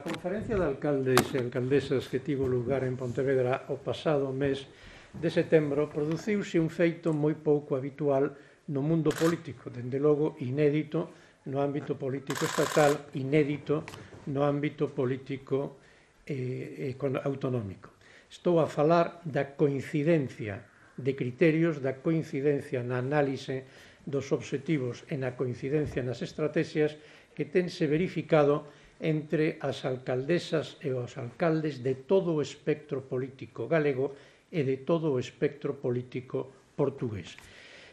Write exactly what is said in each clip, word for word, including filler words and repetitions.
A conferencia de alcaldes e alcaldesas que tivo lugar en Pontevedra o pasado mes de setembro produciuse un feito moi pouco habitual no mundo político, dende logo inédito no ámbito político estatal, inédito no ámbito político eh, autonómico. Estou a falar da coincidencia de criterios, da coincidencia na análise dos obxectivos e na coincidencia nas estrategias que tense verificado entre as alcaldesas e os alcaldes de todo o espectro político galego e de todo o espectro político portugués.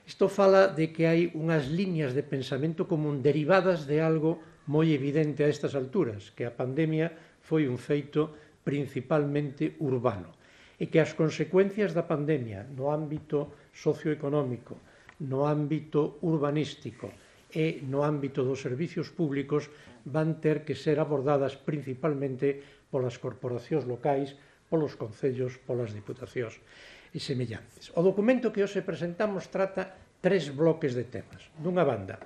Isto fala de que hai unhas liñas de pensamento común derivadas de algo moi evidente a estas alturas, que a pandemia foi un feito principalmente urbano e que as consecuencias da pandemia no ámbito socioeconómico, no ámbito urbanístico e no ámbito dos servicios públicos van ter que ser abordadas principalmente polas corporacións locais, polos concellos, polas diputacións e semellantes. O documento que hoxe presentamos trata tres bloques de temas. Dunha banda,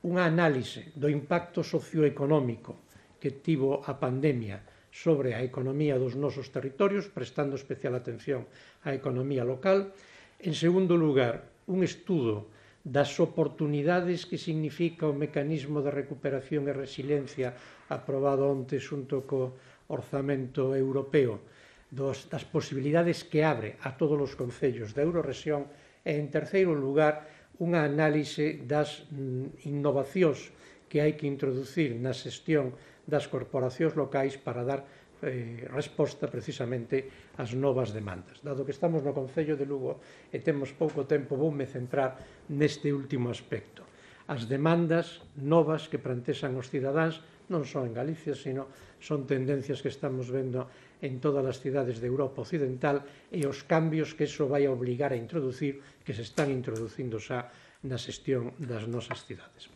unha análise do impacto socioeconómico que tivo a pandemia sobre a economía dos nosos territorios, prestando especial atención á economía local. En segundo lugar, un estudo das oportunidades que significa o mecanismo de recuperación e resiliencia aprobado onte xunto co orzamento europeo, dos, das posibilidades que abre a todos os concellos da Eurorrexión e, en terceiro lugar, unha análise das mm, innovacións que hai que introducir na xestión das corporacións locais para dar eh, resposta precisamente ás novas demandas. Dado que estamos no Concello de Lugo e temos pouco tempo, voume centrar neste último aspecto. As demandas novas que plantexan os cidadáns non só en Galicia, sino son tendencias que estamos vendo en todas as cidades de Europa Occidental e os cambios que iso vai a obligar a introducir, que se están introducindo xa na xestión das nosas cidades.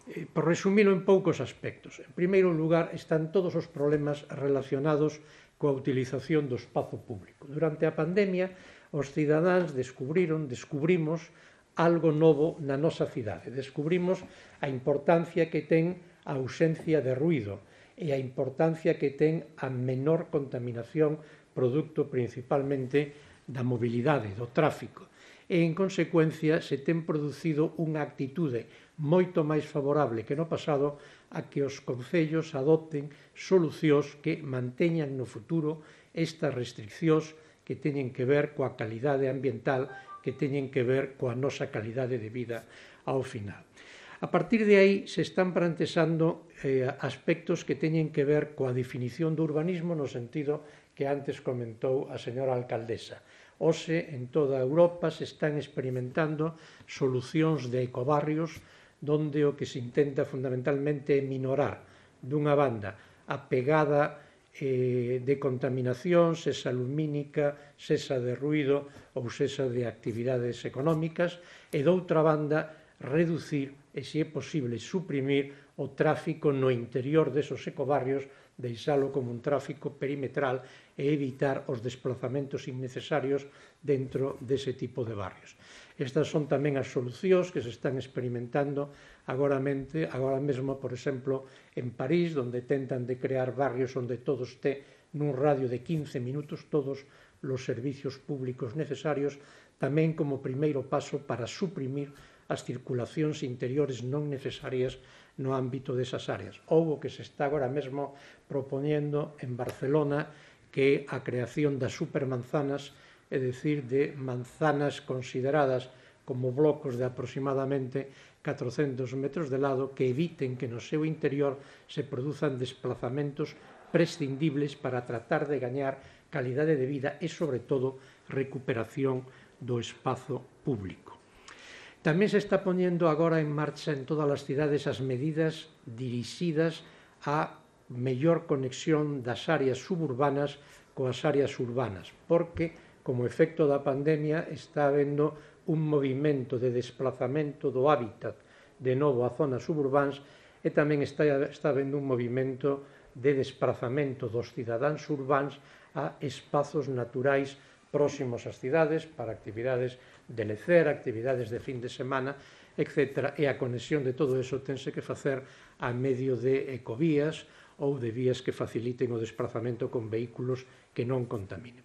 Eh, por resumilo en poucos aspectos. En primeiro lugar, están todos os problemas relacionados coa utilización do espazo público. Durante a pandemia, os cidadáns descubriron, descubrimos algo novo na nosa cidade. Descubrimos a importancia que ten a ausencia de ruído e a importancia que ten a menor contaminación producto principalmente da mobilidade, do tráfico. E, en consecuencia, se ten producido unha actitude moito máis favorable que no pasado a que os concellos adopten solucións que manteñan no futuro estas restriccións que teñen que ver coa calidade ambiental, que teñen que ver coa nosa calidade de vida ao final. A partir de aí se están plantexando eh, aspectos que teñen que ver coa definición do urbanismo no sentido que antes comentou a señora alcaldesa. Hoxe, en toda Europa, se están experimentando solucións de ecobarrios donde o que se intenta fundamentalmente é minorar, dunha banda, a pegada eh, de contaminación, sesa lumínica, sesa de ruído ou sesa de actividades económicas, e doutra banda, reducir e, se é posible, suprimir o tráfico no interior desos ecobarrios, deixalo como un tráfico perimetral e evitar os desplazamentos innecesarios dentro dese tipo de barrios. Estas son tamén as solucións que se están experimentando agora, mente, agora mesmo, por exemplo, en París, onde tentan de crear barrios onde todo este nun radio de quince minutos todos os servicios públicos necesarios, tamén como primeiro paso para suprimir as circulacións interiores non necesarias no ámbito desas áreas. Houbo que se está agora mesmo propoñendo en Barcelona que a creación das supermanzanas, é dicir, de manzanas consideradas como blocos de aproximadamente catrocentos metros de lado que eviten que no seu interior se produzan desplazamentos prescindibles para tratar de gañar calidade de vida e, sobre todo, recuperación do espazo público. Tamén se está poñendo agora en marcha en todas as cidades as medidas dirixidas á mellor conexión das áreas suburbanas coas áreas urbanas, porque, como efecto da pandemia, está habendo un movimento de desplazamento do hábitat de novo a zonas suburbans e tamén está, está habendo un movimento de desplazamento dos cidadáns urbans a espazos naturais próximos ás cidades para actividades de lecer, actividades de fin de semana, etcétera. E a conexión de todo eso tense que facer a medio de ecovías ou de vías que faciliten o desplazamento con vehículos que non contaminen.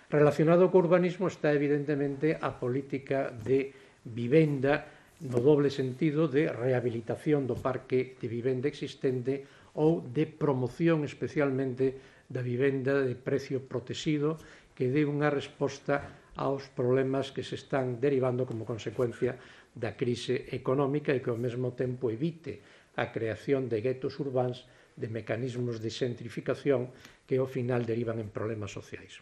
Relacionado co urbanismo está evidentemente a política de vivenda no doble sentido de rehabilitación do parque de vivenda existente ou de promoción especialmente da vivenda de precio protegido que dé unha resposta aos problemas que se están derivando como consecuencia da crise económica e que ao mesmo tempo evite a creación de guetos urbáns, de mecanismos de xentrificación que ao final derivan en problemas sociais.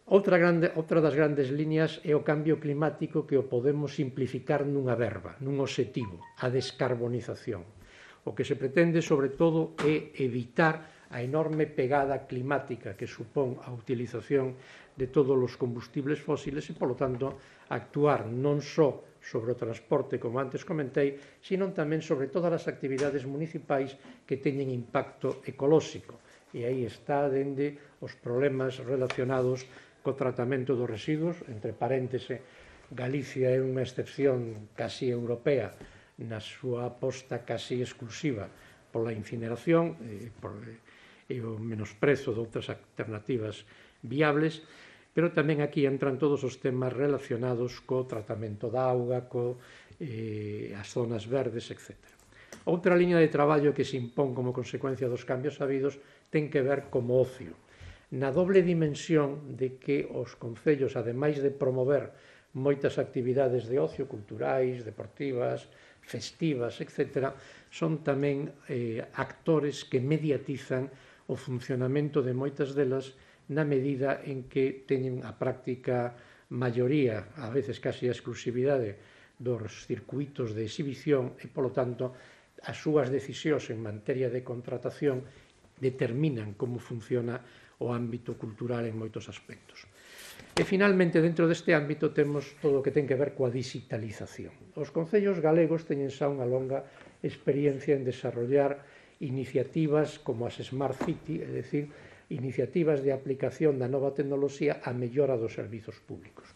Outra, grande, outra das grandes líneas é o cambio climático que o podemos simplificar nunha verba, nun obxectivo, a descarbonización. O que se pretende, sobre todo, é evitar a enorme pegada climática que supón a utilización de todos os combustibles fósiles e, polo tanto, actuar non só sobre o transporte, como antes comentei, sino tamén sobre todas as actividades municipais que teñen impacto ecolóxico. E aí está dende os problemas relacionados co tratamento dos residuos, entre paréntese, Galicia é unha excepción casi europea na súa aposta casi exclusiva pola incineración e, por, e o menosprezo de outras alternativas viables, pero tamén aquí entran todos os temas relacionados co tratamento da auga, co eh, as zonas verdes, etcétera. Outra liña de traballo que se impón como consecuencia dos cambios habidos ten que ver como ocio, na doble dimensión de que os concellos, ademais de promover moitas actividades de ocio, culturais, deportivas, festivas, etcétera, son tamén eh, actores que mediatizan o funcionamento de moitas delas na medida en que teñen a práctica maioría, a veces casi a exclusividade, dos circuitos de exhibición e, polo tanto, as súas decisións en materia de contratación determinan como funciona o ámbito cultural en moitos aspectos. E, finalmente, dentro deste ámbito temos todo o que ten que ver coa digitalización. Os concellos galegos teñen xa unha longa experiencia en desarrollar iniciativas como as Smart City, é dicir, iniciativas de aplicación da nova tecnoloxía a mellora dos servizos públicos.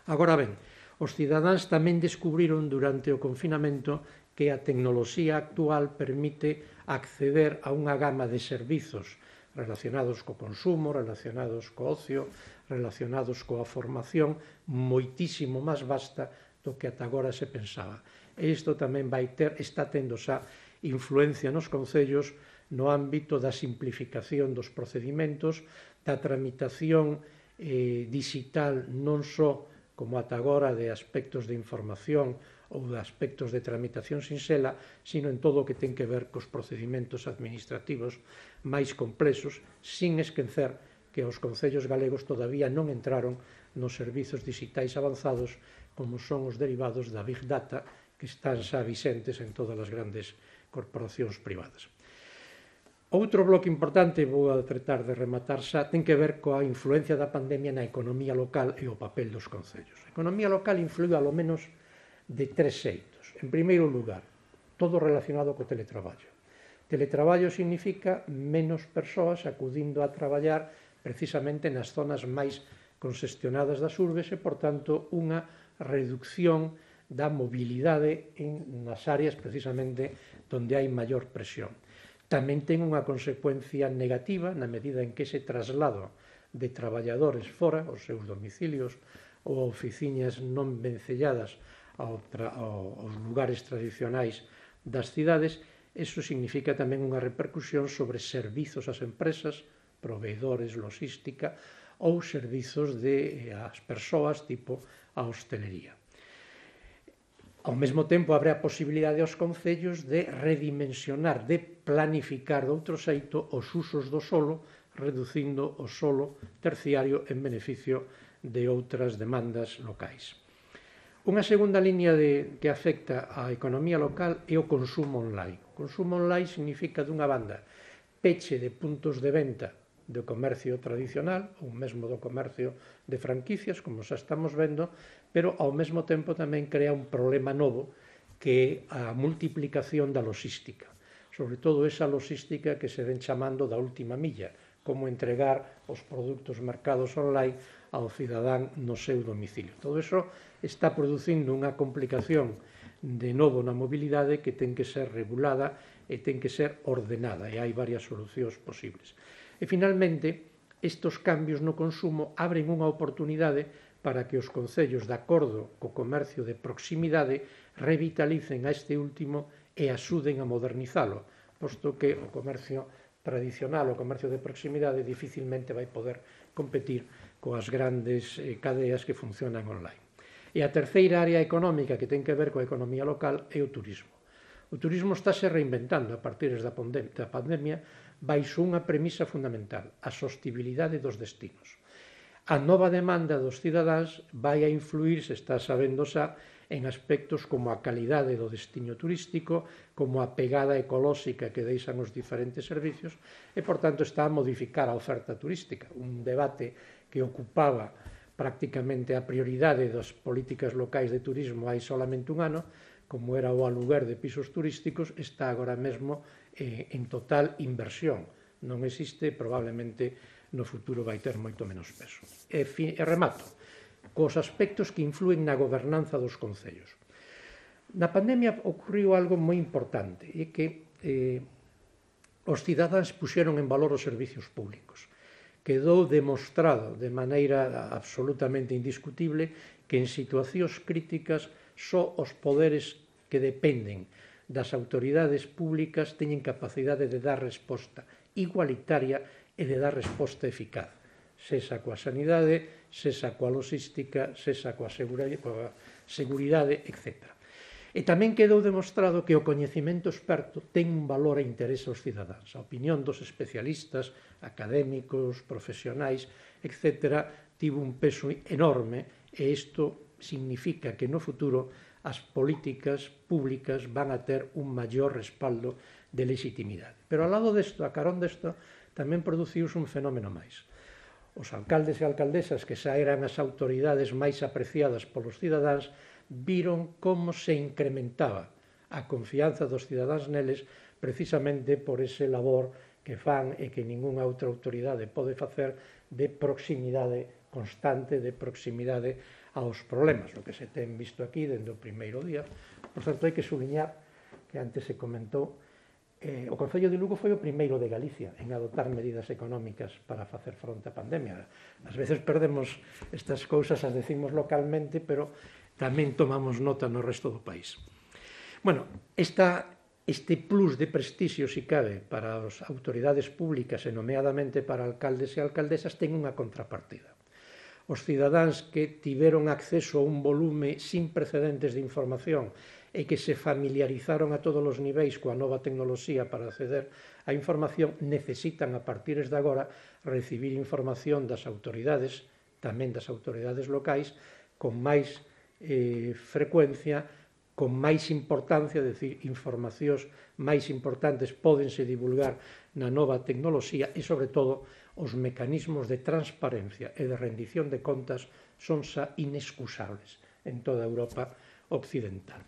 Agora ben, os cidadáns tamén descubriron durante o confinamento que a tecnoloxía actual permite acceder a unha gama de servizos relacionados co consumo, relacionados co ocio, relacionados coa formación, moitísimo máis vasta do que ata agora se pensaba. E isto tamén vai ter, está tendo xa influencia nos concellos no ámbito da simplificación dos procedimentos, da tramitación eh, digital non só como ata agora de aspectos de información ou de aspectos de tramitación sinxela, sino en todo o que ten que ver cos procedimentos administrativos máis complexos, sin esquecer que os concellos galegos todavía non entraron nos servizos digitais avanzados como son os derivados da Big Data, que están xa vixentes en todas as grandes corporacións privadas. Outro bloque importante, vou a tratar de rematar xa, ten que ver coa influencia da pandemia na economía local e o papel dos concellos. A economía local influiu alo menos de tres xeitos. En primeiro lugar, todo relacionado co teletraballo. Teletraballo significa menos persoas acudindo a traballar precisamente nas zonas máis congestionadas das urbes e, por tanto, unha reducción da mobilidade en, nas áreas precisamente onde hai maior presión. Tamén ten unha consecuencia negativa na medida en que ese traslado de traballadores fora, os seus domicilios ou oficinas non vencelladas aos lugares tradicionais das cidades, eso significa tamén unha repercusión sobre servizos ás empresas, proveedores, logística ou servizos de as persoas tipo a hostelería. Ao mesmo tempo, abre a posibilidade aos concellos de redimensionar, de planificar de outro xeito os usos do solo, reducindo o solo terciario en beneficio de outras demandas locais. Unha segunda liña de, que afecta á economía local é o consumo online. O consumo online significa, dunha banda, peche de puntos de venta do comercio tradicional, ou mesmo do comercio de franquicias, como xa estamos vendo, pero ao mesmo tempo tamén crea un problema novo que é a multiplicación da logística, sobre todo esa logística que se ven chamando da última milla, como entregar os produtos mercados online ao cidadán no seu domicilio. Todo iso está producindo unha complicación de novo na mobilidade que ten que ser regulada e ten que ser ordenada, e hai varias solucións posibles. E, finalmente, estes cambios no consumo abren unha oportunidade para que os concellos, de acordo co comercio de proximidade, revitalicen a este último e axuden a modernizalo, posto que o comercio tradicional, o comercio de proximidade, dificilmente vai poder competir coas grandes cadeas que funcionan online. E a terceira área económica que ten que ver coa economía local é o turismo. O turismo estáse reinventando a partir da pandemia baixo unha premisa fundamental, a sostibilidade dos destinos. A nova demanda dos cidadáns vai a influir, se está sabendo xa, en aspectos como a calidade do destino turístico, como a pegada ecolóxica que deixan os diferentes servicios e, por tanto, está a modificar a oferta turística. Un debate que ocupaba prácticamente a prioridade das políticas locais de turismo hai solamente un ano, como era o aluguer de pisos turísticos, está agora mesmo eh, en total inversión. Non existe, probablemente no futuro vai ter moito menos peso. E, fi, e remato cos aspectos que influen na gobernanza dos concellos. Na pandemia ocorriu algo moi importante, e que eh, os cidadáns puxeron en valor os servicios públicos. Quedou demostrado de maneira absolutamente indiscutible que en situacións críticas só os poderes que dependen das autoridades públicas teñen capacidade de dar resposta igualitaria e de dar resposta eficaz, sesa coa sanidade, sesa coa logística, sesa coa seguridade, etcétera. E tamén quedou demostrado que o coñecemento experto ten un valor e interese aos cidadáns. A opinión dos especialistas, académicos, profesionais, etcétera, tivo un peso enorme e isto significa que no futuro as políticas públicas van a ter un maior respaldo de legitimidade. Pero ao lado desto, a carón desto, tamén produciuse un fenómeno máis. Os alcaldes e alcaldesas, que xa eran as autoridades máis apreciadas polos cidadáns, viron como se incrementaba a confianza dos cidadáns neles precisamente por ese labor que fan e que ningunha outra autoridade pode facer de proximidade constante, de proximidade aos problemas, o que se ten visto aquí dende o primeiro día. Por certo, hai que subliñar que antes se comentou eh, o Concello de Lugo foi o primeiro de Galicia en adoptar medidas económicas para facer fronte á pandemia. Ás veces perdemos estas cousas, as decimos localmente, pero tamén tomamos nota no resto do país. Bueno, esta, este plus de prestixio, si cabe, para as autoridades públicas e nomeadamente para alcaldes e alcaldesas ten unha contrapartida. Os cidadáns que tiveron acceso a un volume sin precedentes de información e que se familiarizaron a todos os niveis coa nova tecnoloxía para acceder á información necesitan a partir de agora recibir información das autoridades, tamén das autoridades locais, con máis eh, frecuencia, con máis importancia, é dicir, informacións máis importantes pódense divulgar na nova tecnoloxía e, sobre todo, os mecanismos de transparencia e de rendición de contas son xa inexcusables en toda a Europa occidental.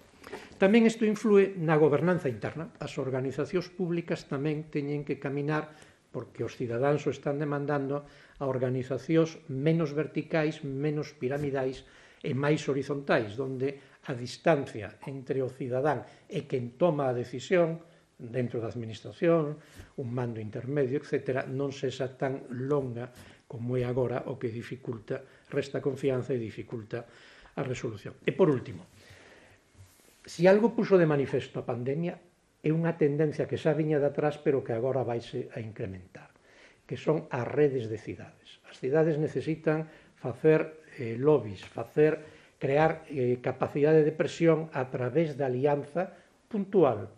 Tamén isto influe na gobernanza interna. As organizacións públicas tamén teñen que caminar, porque os cidadáns o están demandando, a organizacións menos verticais, menos piramidais e máis horizontais, onde a distancia entre o cidadán e quen toma a decisión dentro da administración, un mando intermedio, etcétera, non sexa tan longa como é agora, o que dificulta, resta confianza e dificulta a resolución. E por último, se algo puxo de manifesto a pandemia é unha tendencia que xa viña de atrás pero que agora vaise a incrementar, que son as redes de cidades. As cidades necesitan facer eh, lobbies, facer, crear eh, capacidade de presión a través da alianza puntual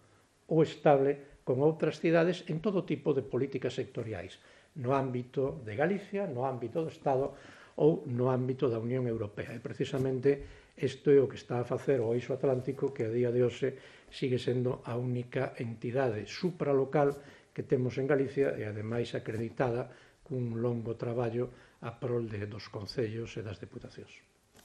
ou estable con outras cidades en todo tipo de políticas sectoriais, no ámbito de Galicia, no ámbito do Estado ou no ámbito da Unión Europea. E precisamente isto é o que está a facer o Eixo Atlántico, que a día de hoxe sigue sendo a única entidade supralocal que temos en Galicia e, ademais, acreditada cun longo traballo a prol de, dos concellos e das deputacións.